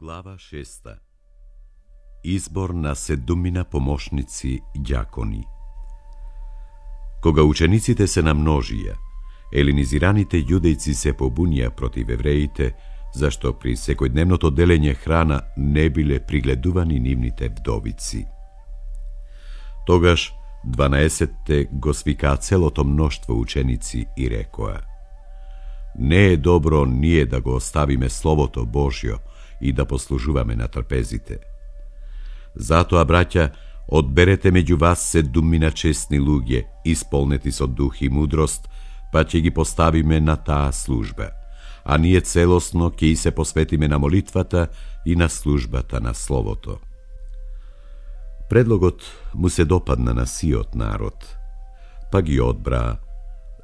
Глава 6. Избор на 7 помошници ѓакони. Кога учениците се намножија, елинизираните јудејци се побунија против евреите, зашто при секојдневното делење храна не биле пригледувани нивните вдовици. Тогаш 12-те го свикаа целото мноштво ученици и рекоа: не е добро ние да го оставиме Словото Божјо и да послужуваме на трпезите. Затоа, браќа, одберете меѓу вас 7 честни луѓе, исполнети со дух и мудрост, па ќе ги поставиме на таа служба, а ние целосно ќе и се посветиме на молитвата и на службата на Словото. Предлогот му се допадна на сиот народ, па ги одбра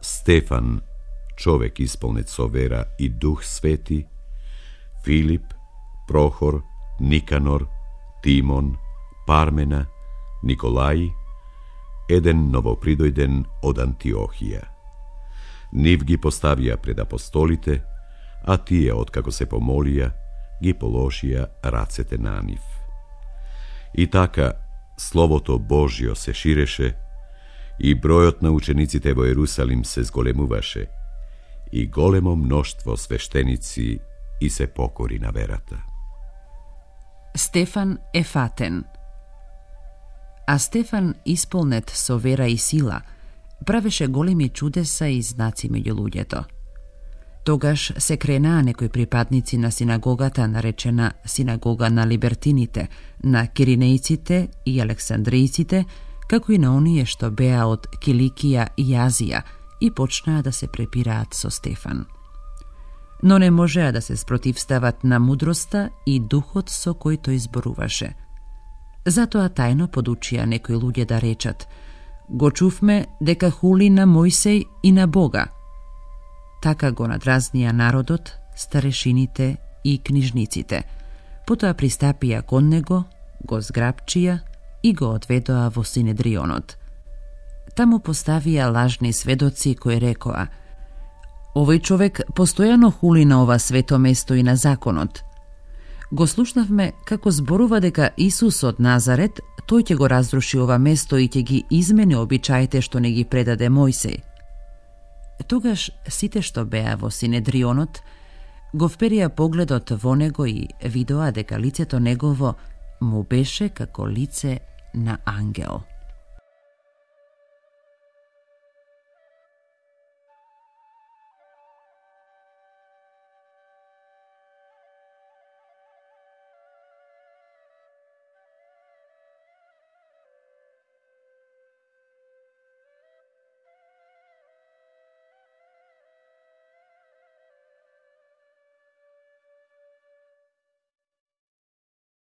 Стефан, човек исполнет со вера и дух свети, Филип, Прохор, Никанор, Тимон, Пармена, Николај, еден новопридојден од Антиохија. Нив ги поставија пред апостолите, а тие, откако се помолија, ги положија рацете на нив. И така, Словото Божјо се ширеше, и бројот на учениците во Ерусалим се зголемуваше, и големо мноштво свештеници и се покори на верата. Стефан е фатен. А Стефан, исполнет со вера и сила, правеше големи чудеса и знаци меѓу луѓето. Тогаш се кренаа некои припадници на синагогата, наречена синагога на либертините, на киринејците и александријците, како и на оние што беа од Киликија и Азија, и почнаа да се препираат со Стефан. Но не можеа да се спротивстават на мудроста и духот со кој тој зборуваше. Затоа тајно подучија некои луѓе да речат: го чувме дека хули на Мојсей и на Бога. Така го надразнија народот, старешините и книжниците. Потоа пристапија кон него, го зграпчија и го одведоа во Синедрионот. Таму поставија лажни сведоци кои рекоа: овој човек постојано хули на ова свето место и на законот. Го слушнавме како зборува дека Исус од Назарет, тој ќе го разруши ова место и ќе ги измени обичаите што не ги предаде Мојсей. Тогаш сите што беа во Синедрионот го вперија погледот во него и видоа дека лицето негово му беше како лице на ангел.